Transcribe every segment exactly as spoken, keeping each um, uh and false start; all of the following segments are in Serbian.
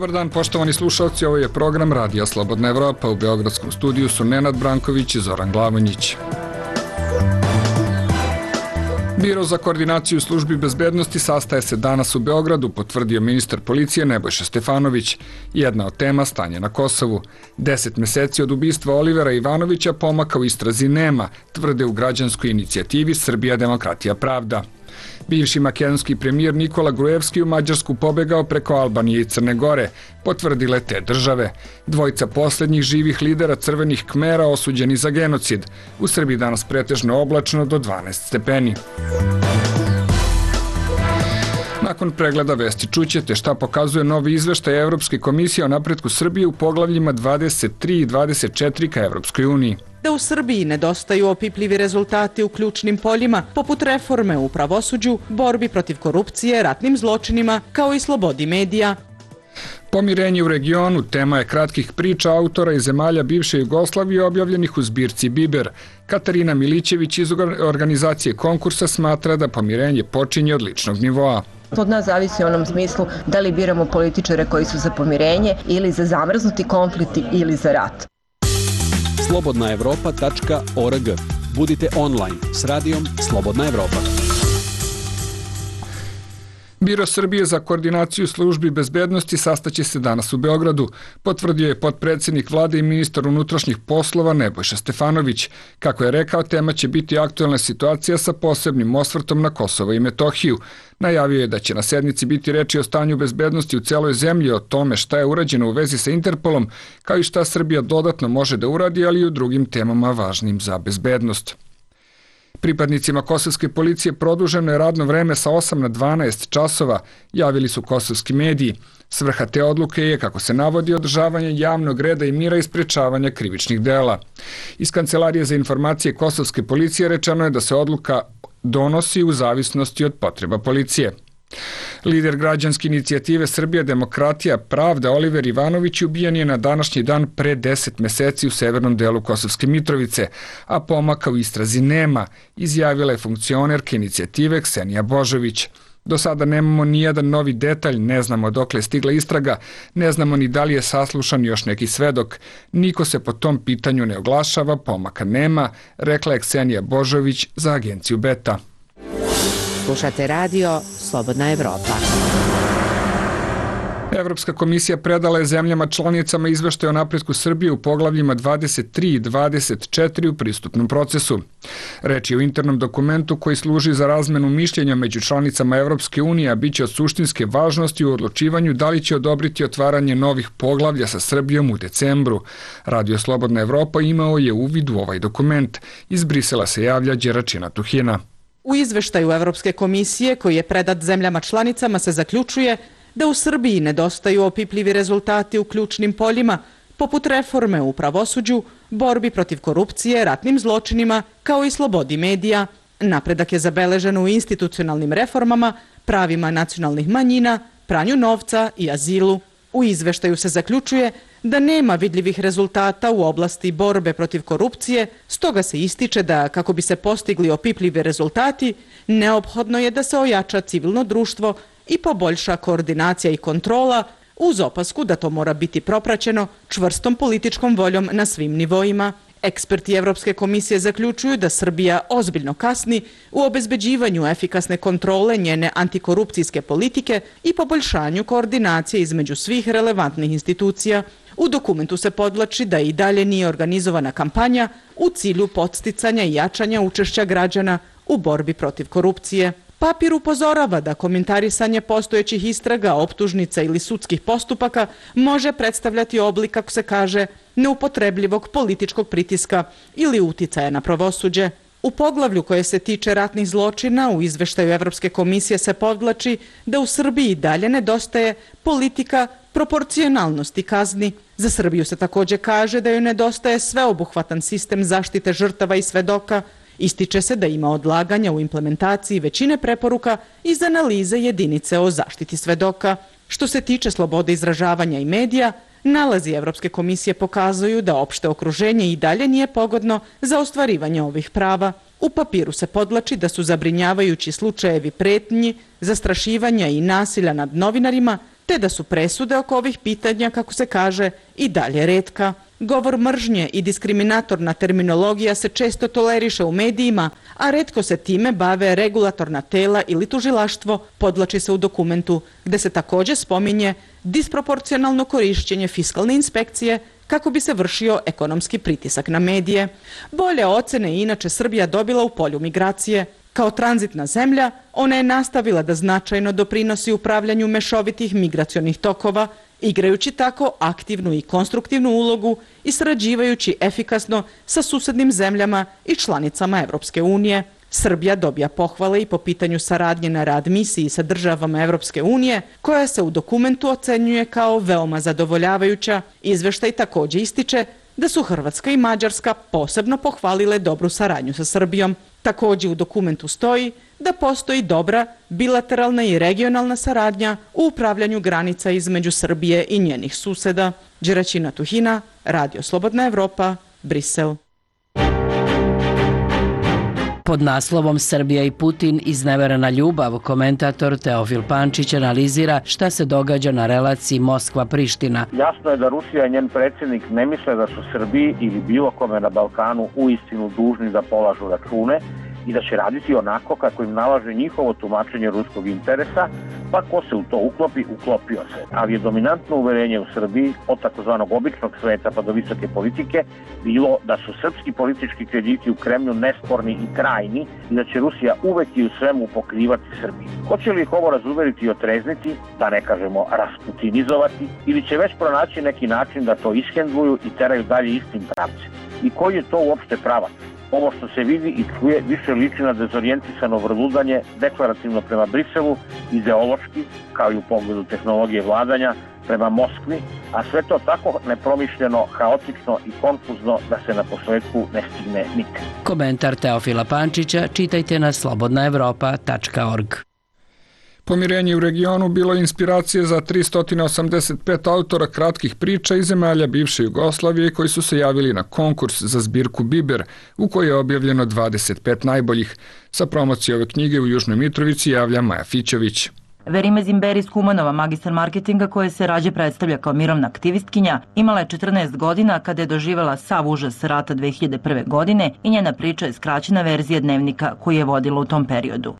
Dobar dan, poštovani slušalci, ovo je program Radija Slobodna Evropa. U beogradskom studiju su Nenad Branković i Zoran Glavonjić. Biro za koordinaciju službi bezbednosti sastaje se danas u Beogradu, potvrdio ministar policije Nebojša Stefanović. Jedna od tema stanje na Kosovu. Deset meseci od ubistva Olivera Ivanovića pomaka u istrazi nema, tvrde u građanskoj inicijativi Srbija, demokratija, pravda. Bivši makedonski premijer Nikola Grujevski u Mađarsku pobegao preko Albanije i Crne Gore, potvrdile te države. Dvojica poslednjih živih lidera crvenih Kmera osuđeni za genocid. U Srbiji danas pretežno oblačno do dvanaest stepeni. Nakon pregleda vesti čućete šta pokazuje novi izveštaj Evropske komisije o napretku Srbije u poglavljima dvadeset tri i dvadeset četiri ka Evropskoj uniji. Da u Srbiji nedostaju opipljivi rezultati u ključnim poljima, poput reforme u pravosuđu, borbi protiv korupcije, ratnim zločinima, kao i slobodi medija. Pomirenje u regionu tema je kratkih priča autora iz zemalja bivše Jugoslavije objavljenih u zbirci Biber. Katarina Milićević iz organizacije konkursa smatra da pomirenje počinje od ličnog nivoa. Od nas zavisi u onom smislu da li biramo političare koji su za pomirenje ili za zamrznuti konflikt ili za rat. slobodna evropa tačka org. Budite online s radijom Slobodna Evropa. Biro Srbije za koordinaciju službi bezbednosti sastaće se danas u Beogradu, potvrdio je potpredsednik vlade i ministar unutrašnjih poslova Nebojša Stefanović. Kako je rekao, tema će biti aktuelna situacija sa posebnim osvrtom na Kosovo i Metohiju. Najavio je da će na sednici biti reči o stanju bezbednosti u celoj zemlji, o tome šta je urađeno u vezi sa Interpolom, kao i šta Srbija dodatno može da uradi, ali i u drugim temama važnim za bezbednost. Pripadnicima kosovske policije produženo je radno vreme sa osam na dvanaest časova, javili su kosovski mediji. Svrha te odluke je, kako se navodi, održavanje javnog reda i mira i sprečavanja krivičnih dela. Iz Kancelarije za informacije kosovske policije rečeno je da se odluka donosi u zavisnosti od potreba policije. Lider građanske inicijative Srbija, demokratija, pravda Oliver Ivanović ubijen je na današnji dan pre deset meseci u severnom delu Kosovske Mitrovice, a pomaka u istrazi nema, izjavila je funkcionerka inicijative Ksenija Božović. Do sada nemamo nijedan novi detalj, ne znamo dokle je stigla istraga, ne znamo ni da li je saslušan još neki svedok. Niko se po tom pitanju ne oglašava, pomaka nema, rekla je Ksenija Božović za agenciju Beta. Slušate radio Slobodna Evropa. Evropska komisija predala je zemljama članicama izveštaj o napretku Srbije u poglavljima dvadeset tri i dvadeset četiri u pristupnom procesu. Reč je o internom dokumentu koji služi za razmenu mišljenja među članicama Evropske unije, a bit će od suštinske važnosti u odlučivanju da li će odobriti otvaranje novih poglavlja sa Srbijom u decembru. Radio Slobodna Evropa imao je uvid u ovaj dokument. Iz Brisela se javlja Đeračina Tuhina. U izveštaju Evropske komisije, koji je predat zemljama članicama, se zaključuje da u Srbiji nedostaju opipljivi rezultati u ključnim poljima, poput reforme u pravosuđu, borbi protiv korupcije, ratnim zločinima, kao i slobodi medija. Napredak je zabeležen u institucionalnim reformama, pravima nacionalnih manjina, pranju novca i azilu. U izveštaju se zaključuje da nema vidljivih rezultata u oblasti borbe protiv korupcije, stoga se ističe da, kako bi se postigli opipljivi rezultati, neophodno je da se ojača civilno društvo i poboljša koordinacija i kontrola, uz opasku da to mora biti propraćeno čvrstom političkom voljom na svim nivoima. Eksperti Evropske komisije zaključuju da Srbija ozbiljno kasni u obezbeđivanju efikasne kontrole njene antikorupcijske politike i poboljšanju koordinacije između svih relevantnih institucija. U dokumentu se podvlači da i dalje nije organizovana kampanja u cilju podsticanja i jačanja učešća građana u borbi protiv korupcije. Papir upozorava da komentarisanje postojećih istraga, optužnica ili sudskih postupaka može predstavljati oblik, kako se kaže, neupotrebljivog političkog pritiska ili uticaja na pravosuđe. U poglavlju koje se tiče ratnih zločina u izveštaju Evropske komisije se podvlači da u Srbiji dalje nedostaje politika proporcionalnosti kazni. Za Srbiju se takođe kaže da joj nedostaje sveobuhvatan sistem zaštite žrtava i svedoka. Ističe se da ima odlaganja u implementaciji većine preporuka iz analize jedinice o zaštiti svedoka. Što se tiče slobode izražavanja i medija, nalazi Evropske komisije pokazuju da opšte okruženje i dalje nije pogodno za ostvarivanje ovih prava. U papiru se podvlači da su zabrinjavajući slučajevi pretnji, zastrašivanja i nasilja nad novinarima, te da su presude oko ovih pitanja, kako se kaže, i dalje retka. Govor mržnje i diskriminatorna terminologija se često toleriše u medijima, a retko se time bave regulatorna tela ili tužilaštvo, podvlači se u dokumentu, gde se takođe spominje disproporcionalno korišćenje fiskalne inspekcije kako bi se vršio ekonomski pritisak na medije. Bolje ocene je inače Srbija dobila u polju migracije. Kao tranzitna zemlja, ona je nastavila da značajno doprinosi upravljanju mešovitih migracionih tokova, igrajući tako aktivnu i konstruktivnu ulogu i sarađivajući efikasno sa susednim zemljama i članicama Evropske unije. Srbija dobija pohvale i po pitanju saradnje na rad misiji sa državama Evropske unije, koja se u dokumentu ocenjuje kao veoma zadovoljavajuća. Izveštaj takođe ističe da su Hrvatska i Mađarska posebno pohvalile dobru saradnju sa Srbijom. Takođe u dokumentu stoji da postoji dobra bilateralna i regionalna saradnja u upravljanju granica između Srbije i njenih suseda. Đeraćina Tuhina, Radio Slobodna Evropa, Brisel. Pod naslovom Srbija i Putin izneverena ljubav, komentator Teofil Pančić analizira šta se događa na relaciji Moskva-Priština. Jasno je da Rusija i njen predsjednik ne misle da su Srbiji ili bilo kome na Balkanu uistinu dužni da polažu račune i da će raditi onako kako im nalaže njihovo tumačenje ruskog interesa, pa ko se u to uklopi, uklopio se. Ali je dominantno uverenje u Srbiji od takozvanog običnog sveta pa do visoke politike bilo da su srpski politički krediti u Kremlju nesporni i trajni i da će Rusija uvek i u svemu pokrivati Srbiju. Hoće li ih ovo razuveriti i otrezniti, da ne kažemo rasputinizovati, ili će već pronaći neki način da to ishendluju i teraju dalje istim pravcem? I koji je to uopšte pravac? Ovo što se vidi i čuje više liči na dezorijentisano vrludanje deklarativno prema Briselu, ideološki, kao i u pogledu tehnologije vladanja, prema Moskvi, a sve to tako nepromišljeno, haotično i konfuzno da se na posledku ne stigne nikad. Komentar Teofila Pančića čitajte na slobodna evropa tačka org. Pomirenje u regionu bilo je inspiracije za tristo osamdeset pet autora kratkih priča iz zemalja bivše Jugoslavije koji su se javili na konkurs za zbirku Biber, u kojoj je objavljeno dvadeset pet najboljih. Sa promocije ove knjige u Južnoj Mitrovici javlja Maja Fićović. Verime Zimberi iz Kumanova, magistar marketinga koja se rađe predstavlja kao mirovna aktivistkinja, imala je četrnaest godina kada je doživjela sav užas rata dve hiljade prve. godine i njena priča je skraćena verzija dnevnika koju je vodila u tom periodu.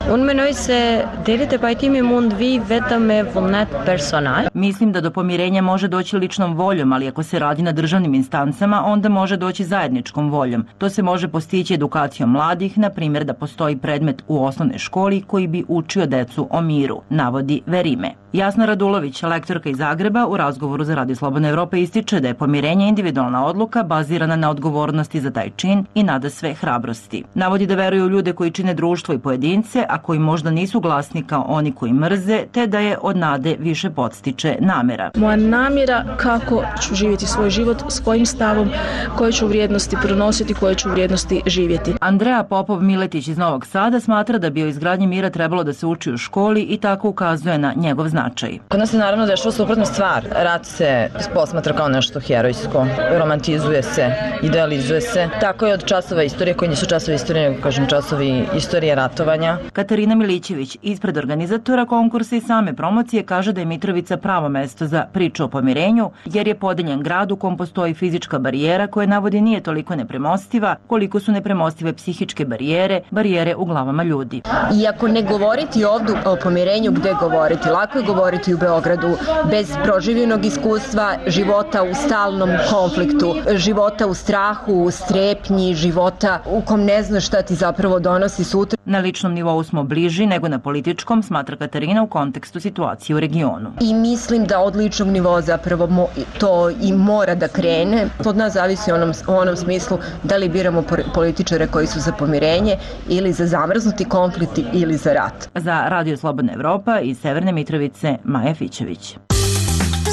Mislim da do pomirenja može doći ličnom voljom, ali ako se radi na državnim instancama, onda može doći zajedničkom voljom. To se može postići edukacijom mladih, na primjer da postoji predmet u osnovnoj školi koji bi učio decu o miru, navodi Verime. Jasna Radulović, lektorka iz Zagreba, u razgovoru za Radio Slobodna Evropa ističe da je pomirenje individualna odluka bazirana na odgovornosti za taj čin i nada sve hrabrosti. Navodi da veruju u ljude koji čine društvo i pojedince, a koji možda nisu glasni kao oni koji mrze, te da je od nade više podstiče namera. Moja namjera kako ću živjeti svoj život, s kojim stavom, koje ću vrijednosti pronositi, koje ću vrijednosti živjeti. Andreja Popov-Miletić iz Novog Sada smatra da bi o izgradnji mira trebalo da se uči u školi i tako ukazuje na njegov značaj. Kod nas se naravno dešava suprotna stvar. Rat se posmatra kao nešto herojsko, romantizuje se, idealizuje se. Tako je od časova istorije, koji nisu časovi istorije, nego kažem časovi istorije ratovanja. Katarina Milićević, ispred organizatora konkursa i same promocije, kaže da je Mitrovica pravo mesto za priču o pomirenju, jer je podeljen grad u kom postoji fizička barijera koja navodi nije toliko nepremostiva, koliko su nepremostive psihičke barijere, barijere u glavama ljudi. Iako ne govoriti ovdje o pomirenju, gde govoriti? Lako je govoriti u Beogradu bez proživljenog iskustva, života u stalnom konfliktu, života u strahu, u strepnji, života u kom ne znaš šta ti zapravo donosi sutra. Na ličnom nivou smo bliži nego na političkom, smatra Katarina u kontekstu situacije u regionu. I mislim da od ličnog nivoa zapravo mo, to i mora da krene. To od nas zavisi u onom, u onom smislu da li biramo političare koji su za pomirenje ili za zamrznuti konflikt ili za rat. Za Radio Slobodna Evropa iz Severne Mitrovice, Maja Fićević.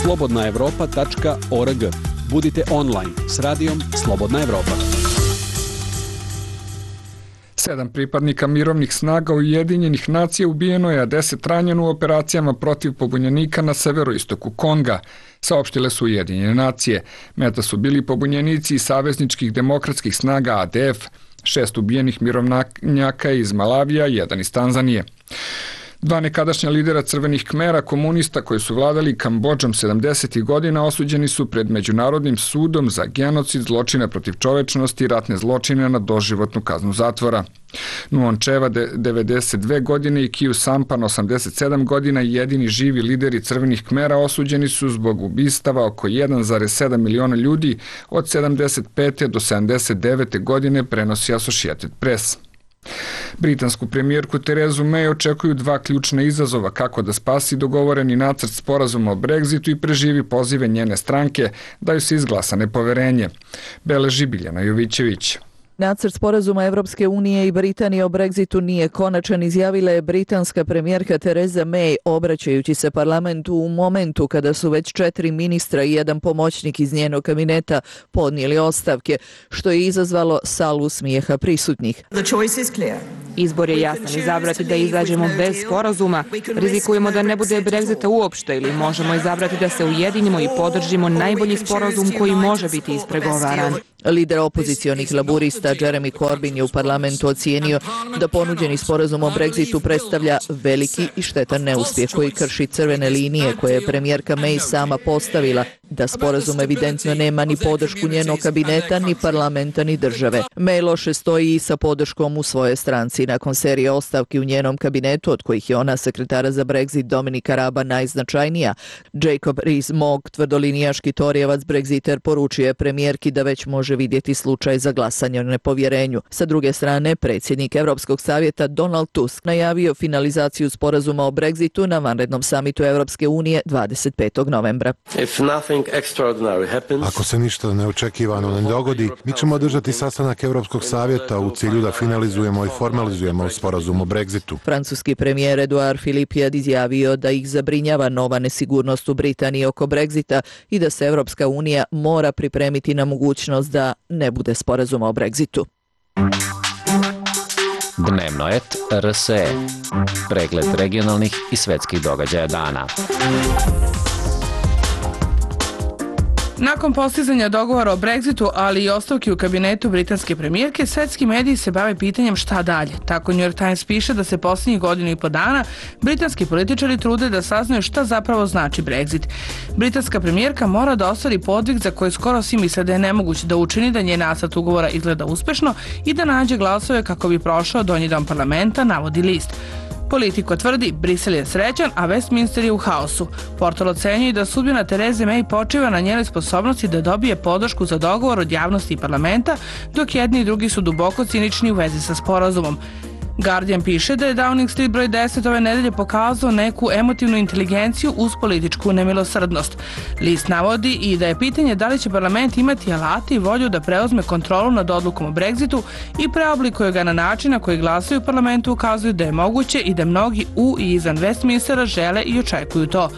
slobodna evropa tačka org. Budite online s radijom Slobodna Evropa. Sedam pripadnika mirovnih snaga Ujedinjenih nacija ubijeno je, a deset ranjeno u operacijama protiv pobunjenika na severoistoku Konga, saopštile su Ujedinjene nacije. Meta su bili pobunjenici iz savezničkih demokratskih snaga A D F, šest ubijenih mirovnjaka iz Malavija, jedan iz Tanzanije. Dva nekadašnja lidera crvenih Kmera, komunista koji su vladali Kambodžom sedamdesetih godina, osuđeni su pred Međunarodnim sudom za genocid, zločine protiv čovečnosti i ratne zločine na doživotnu kaznu zatvora. Nuon Čeva, devedeset dve godine, i Kiju Sampan, osamdeset sedam godina, jedini živi lideri crvenih Kmera, osuđeni su zbog ubistava oko jedan zarez sedam miliona ljudi od sedamdeset pete do sedamdeset devete godine, prenosi Associated Press. Britansku premijerku Terezu May očekuju dva ključna izazova: kako da spasi dogovoreni nacrt sporazuma o Brexitu i preživi pozive njene stranke da ju se izglasa nepoverenje. Beleži Biljana Jovićević. Nacrt sporazuma Evropske unije i Britanije o Brexitu nije konačan, izjavila je britanska premijerka Tereza May, obraćajući se parlamentu u momentu kada su već četiri ministra i jedan pomoćnik iz njenog kabineta podnijeli ostavke, što je izazvalo salvu smijeha prisutnih. Izbor je jasan: izabrati da izađemo bez sporazuma, rizikujemo da ne bude Brexita uopšte, ili možemo izabrati da se ujedinimo i podržimo najbolji sporazum koji može biti ispregovaran. Lider opozicionih laburista Jeremy Corbyn je u parlamentu ocijenio da ponuđeni sporazum o Brexitu predstavlja veliki i štetan neuspjeh koji krši crvene linije koje je premijerka May sama postavila, da sporazum evidentno nema ni podršku njenog kabineta, ni parlamenta, ni države. May loše stoji i sa podrškom u svojoj stranci. Nakon serije ostavki u njenom kabinetu, od kojih je ona sekretara za Brexit Dominika Raba najznačajnija, Jacob Rees-Mogg, tvrdolinijaški torijevac Brexiter, poručio je premijerki da već može vidjeti slučaj za glasanje o nepovjerenju. Sa druge strane, predsjednik Europskog savjeta Donald Tusk najavio finalizaciju sporazuma o Brexitu na vanrednom samitu Europske unije dvadeset petog novembra. Ako se ništa neočekivano ne dogodi, mi ćemo održati sastanak Europskog savjeta u cilju da finalizujemo i formalizujemo sporazum o Brexitu. Francuski premijer Edouard Philippe je izjavio da ih zabrinjava nova nesigurnost u Britaniji oko Brexita i da se Europska unija mora pripremiti na mogućnost da ne bude sporazuma o Brexitu. Dnevno et R S E. Pregled regionalnih i svetskih događaja dana. Nakon postizanja dogovora o Brexitu, ali i ostavki u kabinetu britanske premijerke, svetski mediji se bave pitanjem šta dalje. Tako New York Times piše da se posljednjih godinu i po dana britanski političari trude da saznaju šta zapravo znači Brexit. Britanska premijerka mora da ostvari podvig za koji skoro svi misle da je nemoguće da učini, da njen nacrt ugovora izgleda uspešno i da nađe glasove kako bi prošao donji dom parlamenta, navodi list. Politiko tvrdi, Brisel je srećan, a Westminster je u haosu. Portal ocenjuje da sudbina Tereze May počiva na njenoj sposobnosti da dobije podršku za dogovor od javnosti i parlamenta, dok jedni i drugi su duboko cinični u vezi sa sporazumom. Guardian piše da je Downing Street broj deset ove nedelje pokazao neku emotivnu inteligenciju uz političku nemilosrdnost. List navodi i da je pitanje da li će parlament imati alate i volju da preuzme kontrolu nad odlukom o Brexitu i preoblikuje ga na način na koji glasaju u parlamentu ukazuju da je moguće i da mnogi u i izvan Westminstera žele i očekuju to.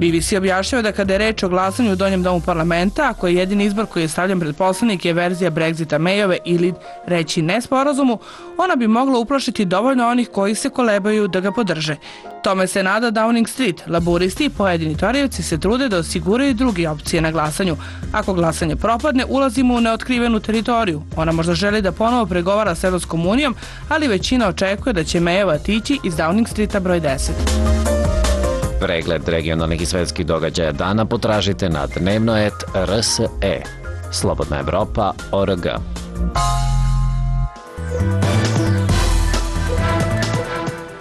B B C objašnjava da kada je reč o glasanju u donjem domu parlamenta, ako je jedini izbor koji je stavljen pred poslanike je verzija Brexita Mayove ili reći ne sporazumu, ona bi mogla uplašiti dovoljno onih koji se kolebaju da ga podrže. Tome se nada Downing Street. Laburisti i pojedini torijevci se trude da osiguraju druge opcije na glasanju. Ako glasanje propadne, ulazimo u neotkrivenu teritoriju. Ona možda želi da ponovo pregovara s Evropskom unijom, ali većina očekuje da će Mayova tići iz Downing Streeta broj deset. Pregled regionalnih i svetskih događaja dana potražite na dnevno et R S E. Slobodna Evropa O R G.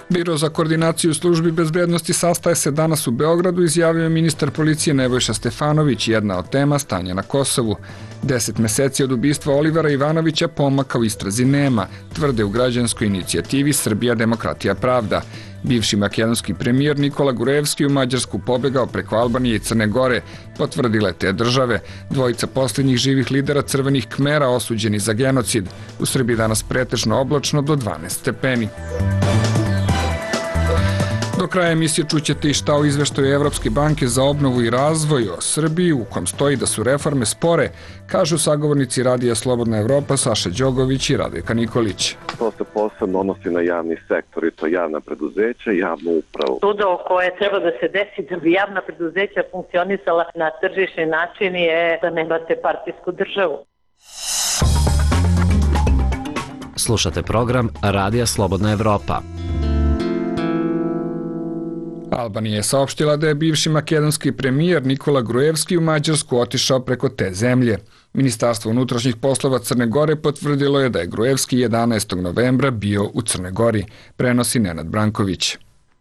Biro za koordinaciju službi bezbednosti sastaje se danas u Beogradu, izjavio je ministar policije Nebojša Stefanović. Jedna od tema stanje na Kosovu. Deset meseci od ubistva Olivera Ivanovića pomaka u istrazi nema, tvrde u građanskoj inicijativi Srbija, demokratija, pravda. Bivši makedonski premijer Nikola Gurevski u Mađarsku pobegao preko Albanije i Crne Gore, potvrdile te države. Dvojica posljednjih živih lidera crvenih Kmera osuđeni za genocid. U Srbiji danas pretežno oblačno do dvanaest stepeni. Do kraja emisije čućete i šta o izveštaju Evropske banke za obnovu i razvoj o Srbiji, u kom stoji da su reforme spore, kažu sagovornici Radija Slobodna Evropa Saša Đogović i Radojka Nikolić. To se posebno odnosi na javni sektor i to javna preduzeća i javnu upravu. Čudo koje treba da se desi da bi javna preduzeća funkcionisala na tržišni način je da nemate partijsku državu. Slušate program Radija Slobodna Evropa. Albanija je saopštila da je bivši makedonski premijer Nikola Gruevski u Mađarsku otišao preko te zemlje. Ministarstvo unutrašnjih poslova Crne Gore potvrdilo je da je Gruevski jedanaestog novembra bio u Crnoj Gori, prenosi Nenad Branković.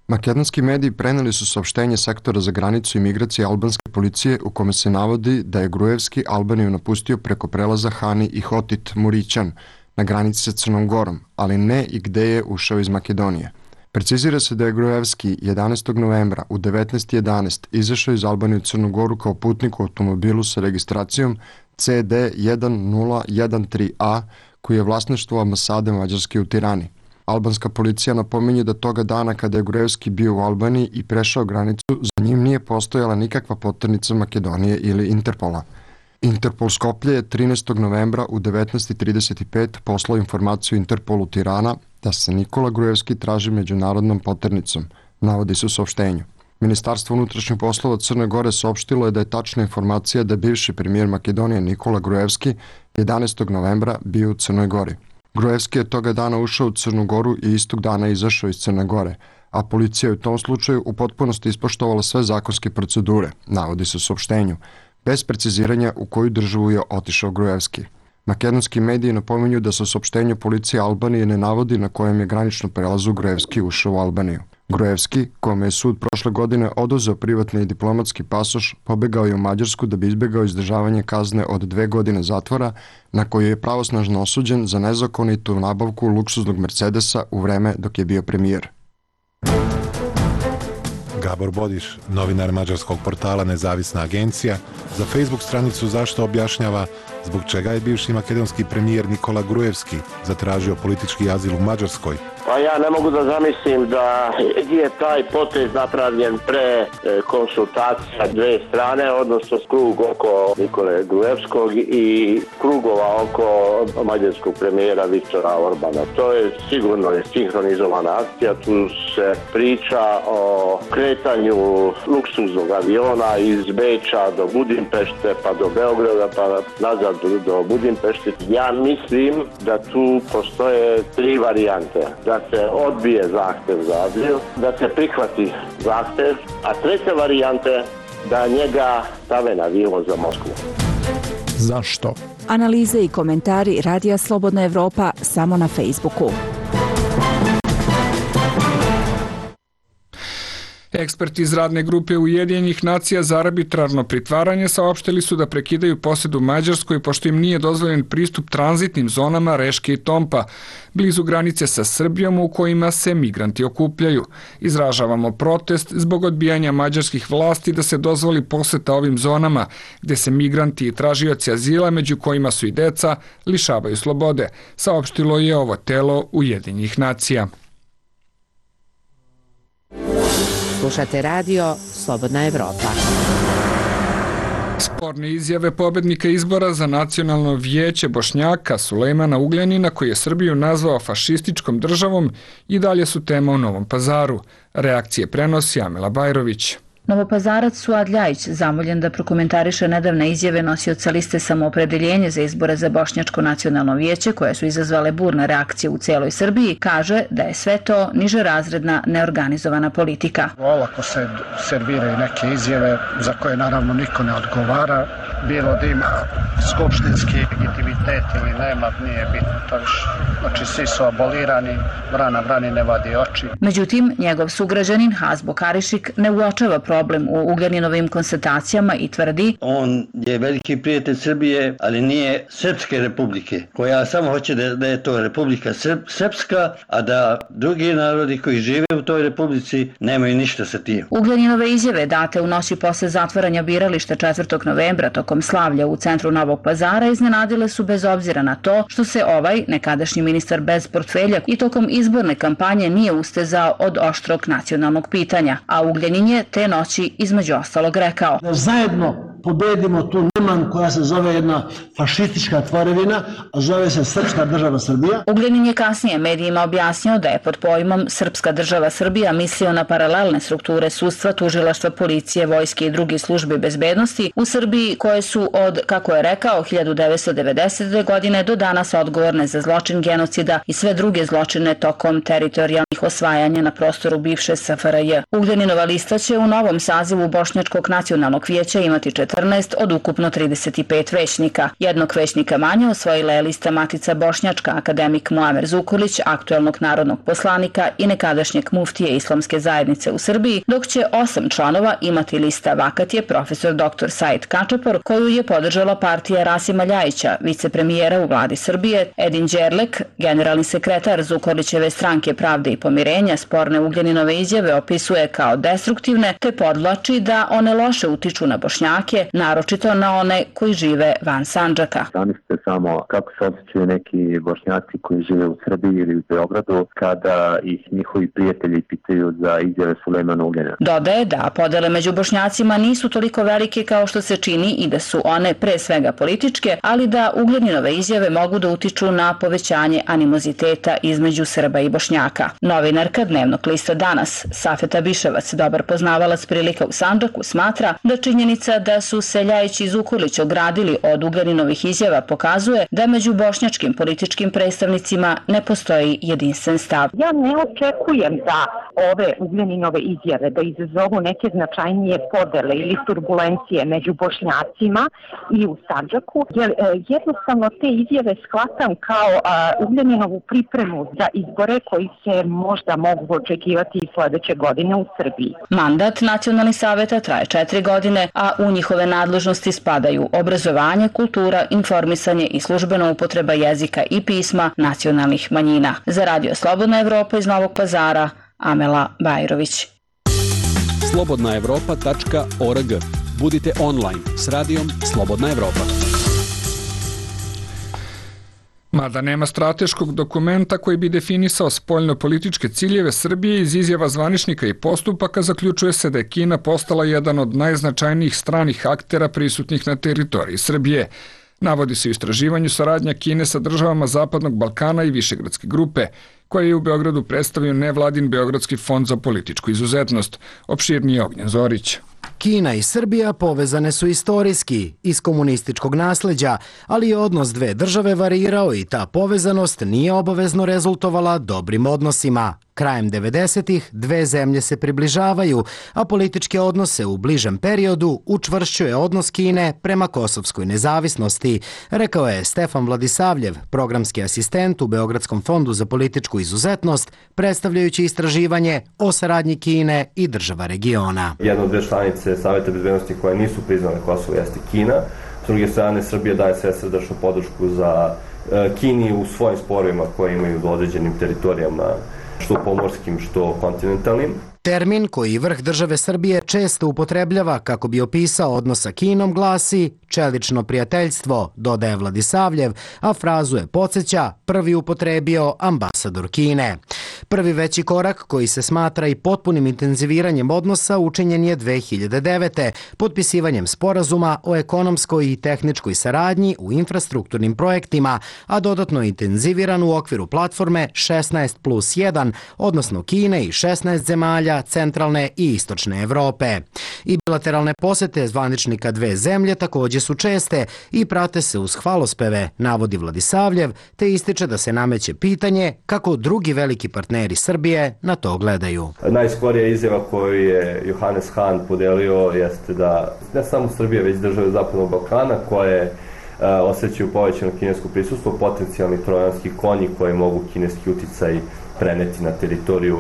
Makedonski mediji preneli su saopštenje sektora za granicu i migracije albanske policije u kome se navodi da je Gruevski Albaniju napustio preko prelaza Hani i Hotit Murićan na granici sa Crnom Gorom, ali ne i gde je ušao iz Makedonije. Precizira se da je Gruevski jedanaestog novembra u devetnaest jedanaest izašao iz Albanije u Crnu Goru kao putnik u automobilu sa registracijom C D jedan nula jedan tri A koji je vlasništvo ambasade Mađarske u Tirani. Albanska policija napominje da toga dana kada je Gruevski bio u Albaniji i prešao granicu, za njim nije postojala nikakva poternica Makedonije ili Interpola. Interpol Skoplje je trinaestog novembra u devetnaest trideset pet poslao informaciju Interpolu Tirana da se Nikola Gruevski traži međunarodnom poternicom, navodi se u saopštenju. Ministarstvo unutrašnjih poslova Crne Gore saopštilo je da je tačna informacija da je bivši premijer Makedonije Nikola Gruevski jedanaestog novembra bio u Crnoj Gori. Gruevski je toga dana ušao u Crnu Goru i istog dana izašao iz Crne Gore, a policija je u tom slučaju u potpunosti ispoštovala sve zakonske procedure, navodi se u saopštenju, bez preciziranja u koju državu je otišao Gruevski. Makedonski mediji napominju da se u saopštenju policije Albanije ne navodi na kojem je graničnom prelazu Gruevski ušao u Albaniju. Gruevski, kome je sud prošle godine oduzeo privatni i diplomatski pasoš, pobegao je u Mađarsku da bi izbegao izdržavanje kazne od dve godine zatvora, na koju je pravosnažno osuđen za nezakonitu nabavku luksuznog Mercedesa u vreme dok je bio premijer. Gabor Bodiš, novinar mađarskog portala Nezavisna agencija, za Facebook stranicu Zašto objašnjava zbog čega je bivši makedonski premijer Nikola Gruevski zatražio politički azil u Mađarskoj. Pa ja ne mogu da zamislim da je taj potez napravljen pre konsultacija dve strane, odnosno krug oko Nikole Gruevskog i krugova oko mađarskog premijera Viktora Orbana. To je sigurno je sinhronizovana akcija, tu se priča o kretanju luksuznog aviona iz Beča do Budimpešte, pa do Beograda, pa nazad do Budimpešte. Ja mislim da tu postoje tri varijante. Da se odbije zahtev za azil, da se prihvati zahtev, a treća varijanta je da njega stave na avion za Moskvu. Zašto? Analize i komentari Radija Slobodna Evropa samo na Facebooku. Eksperti iz radne grupe Ujedinjenih nacija za arbitrarno pritvaranje saopštili su da prekidaju posedu Mađarskoj pošto im nije dozvoljen pristup tranzitnim zonama Reške i Tompa, blizu granice sa Srbijom u kojima se migranti okupljaju. Izražavamo protest zbog odbijanja mađarskih vlasti da se dozvoli poseta ovim zonama, gde se migranti i tražioci azila, među kojima su i deca, lišavaju slobode, saopštilo je ovo telo Ujedinjenih nacija. Slušate radio Slobodna Evropa. Sporne izjave pobednika izbora za nacionalno vijeće Bošnjaka Sulejmana Ugljanina, koji je Srbiju nazvao fašističkom državom, i dalje su tema u Novom Pazaru. Reakcije prenosi Amila Bajrović. Novopazarac Suad Ljajić zamoljen da prokomentariše nedavne izjave nosioca liste Samoopredeljenje za izbore za Bošnjačko nacionalno vijeće, koje su izazvale burne reakcije u cijeloj Srbiji, kaže da je sve to nižerazredna, neorganizovana politika. Olako se serviraju neke izjave za koje naravno niko ne odgovara, bilo da ima skupštinski legitimitet ili nema, nije bitno to više. Znači svi su abolirani, vrana vrani ne vadi oči. Međutim, njegov sugrađanin Hazbo Karišik ne uočava problem u Ugljaниnovim konstatacijama i tvrdi: On je veliki prijatelj Srbije, ali nije Srpske republike, koja samo hoće da, da je to Republika Srp, Srpska, a da drugi narodi koji žive u toj republici nemaju ništa sa tim. Ugljaninove izjave date u noći posle zatvaranja birališta četvrtog novembra tokom slavlja u centru Novog Pazara iznenadile su bez obzira na to što se ovaj, nekadašnji ministar bez portfelja, i tokom izborne kampanje nije ustezao od oštrog nacionalnog pitanja, a Ugljanin je te noći između ostalog rekao: Da zajedno pobedimo tu neman koja se zove jedna fašistička tvorevina, a zove se Srpska država Srbija. Ugljanin je kasnije medijima objasnio da je pod pojmom Srpska država Srbija mislio na paralelne strukture sudstva, tužilaštva, policije, vojske i druge službe bezbednosti u Srbiji koje su od, kako je rekao, hiljadu devetsto devedesete. godine do danas odgovorne za zločin genocida i sve druge zločine tokom teritorijalnih osvajanja na prostoru bivše S F R J. Ugljaninova lista će u novom sazivu Bošnjačkog nacionalnog vijeća imati četrnaest od ukupno trideset pet većnika. Jednog većnika manje osvojila je lista Matica Bošnjačka, akademik Muamer Zukorlić, aktuelnog narodnog poslanika i nekadašnjeg muftije Islamske zajednice u Srbiji, dok će osam članova imati lista Vakatije profesor doktor Said Kačapor, koju je podržala partija Rasima Ljajića, vicepremijera u vladi Srbije. Edin Đerlek, generalni sekretar Zukorlićeve stranke Pravde i pomirenja, sporne Ugljaninove izjave opisuje kao destruktivne, te podvlači da one loše utiču na Bošnjake, naročito na one koji žive van Sandžaka. Zamislite samo kako se osjećaju neki Bošnjaci koji žive u Srbiji ili u Beogradu kada ih njihovi prijatelji pitaju za izjave Sulejmana Ugljanina. Dodaje da podele među Bošnjacima nisu toliko velike kao što se čini i da su one pre svega političke, ali da Ugljaninove izjave mogu da utiču na povećanje animoziteta između Srba i Bošnjaka. Novinarka dnevnog lista Danas, Safeta Biševac, dobar poznavalac prilika u Sandžaku, smatra da činjenica da su se Ljajić i Zukorlić ogradili od Ugljaninovih izjava pokazuje da među bošnjačkim političkim predstavnicima ne postoji jedinstven stav. Ja ne očekujem da ove Ugljaninove izjave da izazovu neke značajnije podele ili turbulencije među Bošnjacima i u Sandžaku, jer jednostavno te izjave shvatam kao Ugljaninovu pripremu za izbore koji se možda mogu očekivati i sledeće godine u Srbiji. Mandat Nacionalnih saveta traje četiri godine, a u njihove nadležnosti spadaju obrazovanje, kultura, informisanje i službena upotreba jezika i pisma nacionalnih manjina. Za Radio Slobodna Evropa iz Novog Pazara, Amela Bajrović. slobodna evropa tačka org. Budite online s radijom Slobodna Evropa. Mada nema strateškog dokumenta koji bi definisao spoljno-političke ciljeve Srbije, iz izjava zvaničnika i postupaka zaključuje se da je Kina postala jedan od najznačajnijih stranih aktera prisutnih na teritoriji Srbije. Navodi se u istraživanju saradnja Kine sa državama Zapadnog Balkana i Višegradske grupe, koje je u Beogradu predstavio nevladin Beogradski fond za političku izuzetnost. Opširnije Ognjen Zorić. Kina i Srbija povezane su istorijski, iz komunističkog nasleđa, ali je odnos dve države varirao i ta povezanost nije obavezno rezultovala dobrim odnosima. Krajem devedesetih dve zemlje se približavaju, a političke odnose u bližem periodu učvršćuje odnos Kine prema kosovskoj nezavisnosti, rekao je Stefan Vladisavljev, programski asistent u Beogradskom fondu za političku izuzetnost, predstavljajući istraživanje o saradnji Kine i država regiona. Jedna od dve članice Saveta bezbednosti koje nisu priznale Kosovo jeste Kina. S druge strane, Srbija daje svesrdačnu podršku za Kini u svojim sporovima koje imaju u određenim teritorijama, što pomorskim, što kontinentalnim. Termin koji vrh države Srbije često upotrebljava kako bi opisao odnos sa Kinom glasi čelično prijateljstvo, dodaje Vladisavljev, a frazu je podsjeća prvi upotrebio ambasador Kine. Prvi veći korak koji se smatra i potpunim intenziviranjem odnosa učinjen je dve hiljade devete. potpisivanjem sporazuma o ekonomskoj i tehničkoj saradnji u infrastrukturnim projektima, a dodatno intenziviran u okviru platforme šesnaest plus jedan, odnosno Kine i šesnaest zemalja centralne i istočne Evrope. I bilateralne posete zvaničnika dve zemlje također su česte i prate se uz hvalospeve, navodi Vladisavljev, te ističe da se nameće pitanje kako drugi veliki partneri Srbije na to gledaju. Najskorija izjava koju je Johannes Hahn podelio jeste da ne samo Srbija, već države Zapadnog Balkana koje osjećaju povećano kinesko prisustvo, potencijalni trojanski konji koji mogu kineski uticaj preneti na teritoriju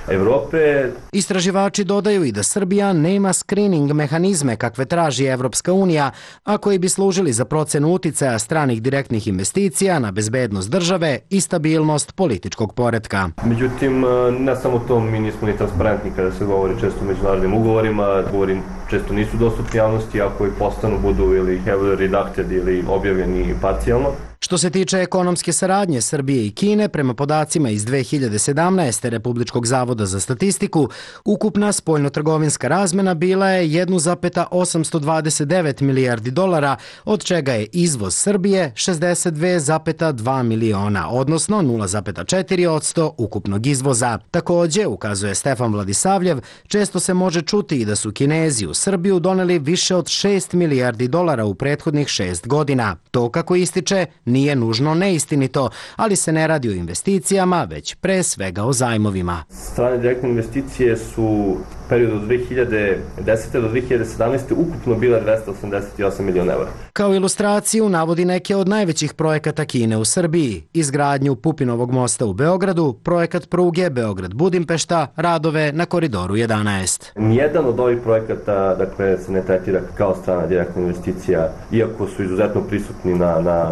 Evrope. Istraživači dodaju i da Srbija nema screening mehanizme kakve traži Evropska unija, a koji bi služili za procenu uticaja stranih direktnih investicija na bezbednost države i stabilnost političkog poretka. Međutim, ne samo to, mi nismo ni transparentni kada se govori često o međunarodnim ugovorima. Ugovori često nisu dostupni javnosti, ako i postanu budu ili heavily redacted ili objavljeni parcijalno. Što se tiče ekonomske saradnje Srbije i Kine, prema podacima iz dve hiljade sedamnaeste. Republičkog zavoda za statistiku, ukupna spoljnotrgovinska razmena bila je jedan zarez osamsto dvadeset devet milijardi dolara, od čega je izvoz Srbije šezdeset dve zarez dva miliona, odnosno nula zarez četiri posto ukupnog izvoza. Takođe, ukazuje Stefan Vladisavljev, često se može čuti i da su Kinezi u Srbiju doneli više od šest milijardi dolara u prethodnih šest godina. To, kako ističe, nije nužno neistinito, ali se ne radi o investicijama, već pre svega o zajmovima. Strane direktne investicije su u periodu od dve hiljade desete do dve hiljade sedamnaeste. ukupno bile dvesta osamdeset osam miliona evra. Kao ilustraciju navodi neke od najvećih projekata Kine u Srbiji: izgradnju Pupinovog mosta u Beogradu, projekat pruge Beograd-Budimpešta, radove na Koridoru jedanaest. Nijedan od ovih projekata, dakle, se ne tretira kao strana direktna investicija, iako su izuzetno prisutni na, na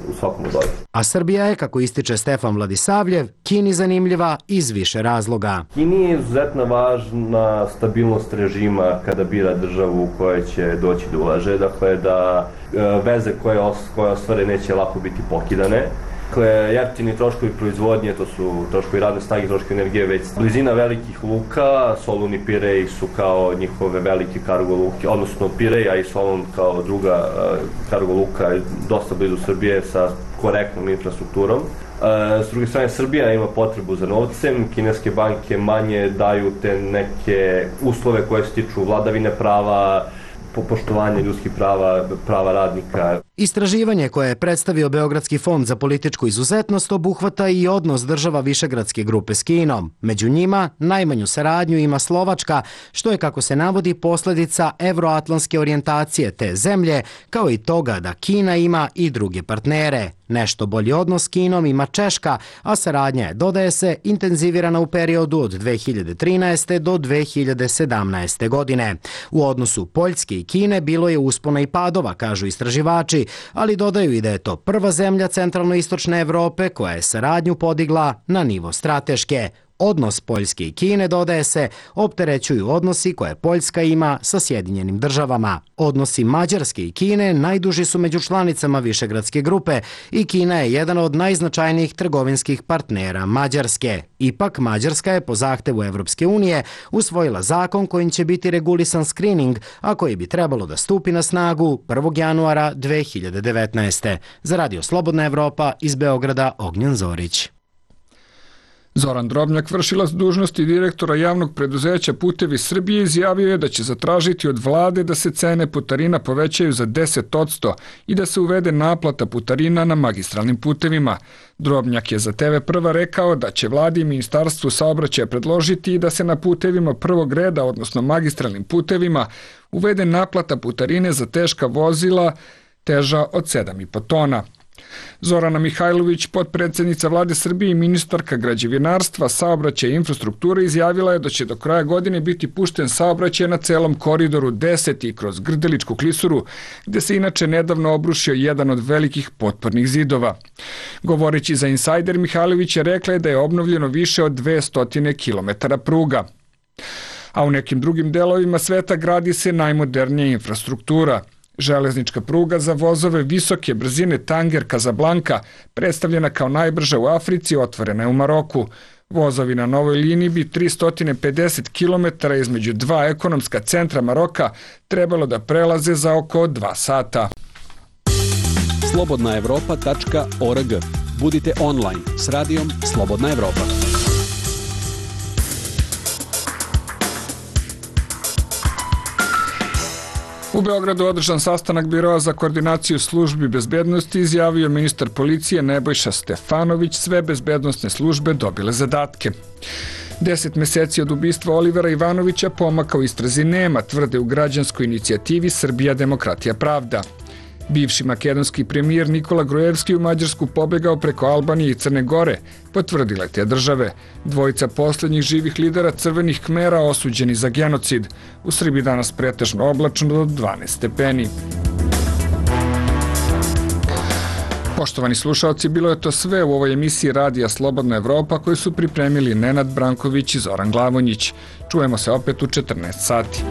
u svakom od ovih. A Srbija je, kako ističe Stefan Vladisavljev, Kini zanimljiva iz više razloga. Kini je izuzetno važna stabilnost režima kada bira državu u kojoj će doći da ulaže, dakle da veze koje, os, koje ostvare neće lako biti pokidane. Dakle, jeftini troškovi proizvodnje, to su troškovi radne snage, troškovi energije, već blizina velikih luka, Solun i Pirej su kao njihove velike kargo luke, odnosno Pirej, a i Solun kao druga kargo luka, dosta blizu Srbije sa korektnom infrastrukturom. S druge strane, Srbija ima potrebu za novcem, kineske banke manje daju te neke uslove koje se tiču vladavine prava, poštovanje ljudskih prava, prava radnika. Istraživanje koje je predstavio Beogradski fond za političku izuzetnost obuhvata i odnos država Višegradske grupe s Kinom. Među njima najmanju saradnju ima Slovačka, što je, kako se navodi, posledica evroatlantske orijentacije te zemlje, kao i toga da Kina ima i druge partnere. Nešto bolji odnos s Kinom ima Češka, a saradnja je, dodaje se, intenzivirana u periodu od dve hiljade trinaeste. do dve hiljade sedamnaeste. godine. U odnosu Poljske i Kine bilo je uspona i padova, kažu istraživači, ali dodaju i da je to prva zemlja centralno-istočne Evrope koja je saradnju podigla na nivo strateške. Odnos Poljske i Kine, dodaje se, opterećuju odnosi koje Poljska ima sa Sjedinjenim državama. Odnosi Mađarske i Kine najduži su među članicama Višegradske grupe i Kina je jedan od najznačajnijih trgovinskih partnera Mađarske. Ipak, Mađarska je po zahtevu Evropske unije usvojila zakon kojim će biti regulisan skrining, a koji bi trebalo da stupi na snagu prvog januara dve hiljade devetnaeste. Za Radio Slobodna Evropa iz Beograda, Ognjen Zorić. Zoran Drobnjak, vršilac dužnosti direktora javnog preduzeća Putevi Srbije, izjavio je da će zatražiti od vlade da se cene putarina povećaju za deset posto i da se uvede naplata putarina na magistralnim putevima. Drobnjak je za te ve Prva rekao da će vladi i ministarstvu saobraćaja predložiti i da se na putevima prvog reda, odnosno magistralnim putevima, uvede naplata putarine za teška vozila teža od sedam i po tona. Zorana Mihajlović, potpredsednica vlade Srbije i ministarka građevinarstva, saobraćaja i infrastrukture, izjavila je da će do kraja godine biti pušten saobraćaj na celom koridoru deset i kroz Grdeličku klisuru, gde se inače nedavno obrušio jedan od velikih potpornih zidova. Govoreći za Insajder, Mihajlović je rekla da je obnovljeno više od dvesta kilometara pruga. A u nekim drugim delovima sveta gradi se najmodernija infrastruktura. Železnička pruga za vozove visoke brzine Tanger Casablanca, predstavljena kao najbrža u Africi, otvorena je u Maroku. Vozovi na novoj liniji bi tristo pedeset kilometara između dva ekonomska centra Maroka trebalo da prelaze za oko dva sata. slobodna evropa tačka org. Budite online s radijom Slobodna Evropa. U Beogradu održan sastanak Biroa za koordinaciju službi bezbednosti, izjavio ministar policije Nebojša Stefanović, sve bezbednostne službe dobile zadatke. Deset meseci od ubistva Olivera Ivanovića pomaka u istrazi nema, tvrde u građanskoj inicijativi Srbija, demokratija, pravda. Bivši makedonski premijer Nikola Grujevski u Mađarsku pobegao preko Albanije i Crne Gore, potvrdile te države. Dvojica poslednjih živih lidera Crvenih Kmera osuđeni za genocid. U Srbiji danas pretežno oblačno do dvanaest stepeni. Poštovani slušalci, bilo je to sve u ovoj emisiji Radija Slobodna Evropa koju su pripremili Nenad Branković i Zoran Glavonjić. Čujemo se opet u četrnaest sati.